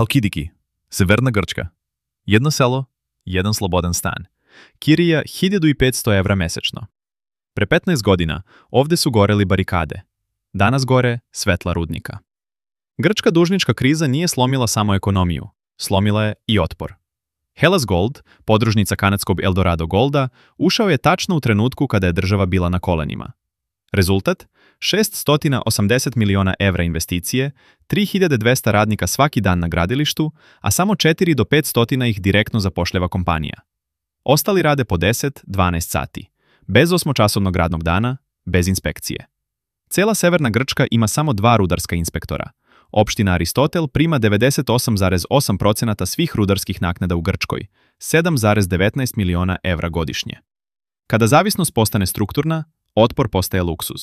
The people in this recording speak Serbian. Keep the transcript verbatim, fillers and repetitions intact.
Halkidiki, severna Grčka. Jedno selo, jedan slobodan stan. Kirija hiljadu i petsto evra mesečno. Pre petnaest godina ovde su goreli barikade. Danas gore svetla rudnika. Grčka dužnička kriza nije slomila samo ekonomiju, slomila je i otpor. Hellas Gold, podružnica kanadskog Eldorado Golda, ušao je tačno u trenutku kada je država bila na kolenima. Rezultat? šesto osamdeset miliona evra investicije, tri hiljade dvesta radnika svaki dan na gradilištu, a samo četiri do pet stotina ih direktno zapošljava kompanija. Ostali rade po deset do dvanaest sati, bez osmočasovnog radnog dana, bez inspekcije. Cela severna Grčka ima samo dva rudarska inspektora. Opština Aristotel prima devedeset osam zarez osam posto svih rudarskih naknada u Grčkoj, sedam zarez devetnaest miliona evra godišnje. Kada zavisnost postane strukturna, otpor postaje luksuz.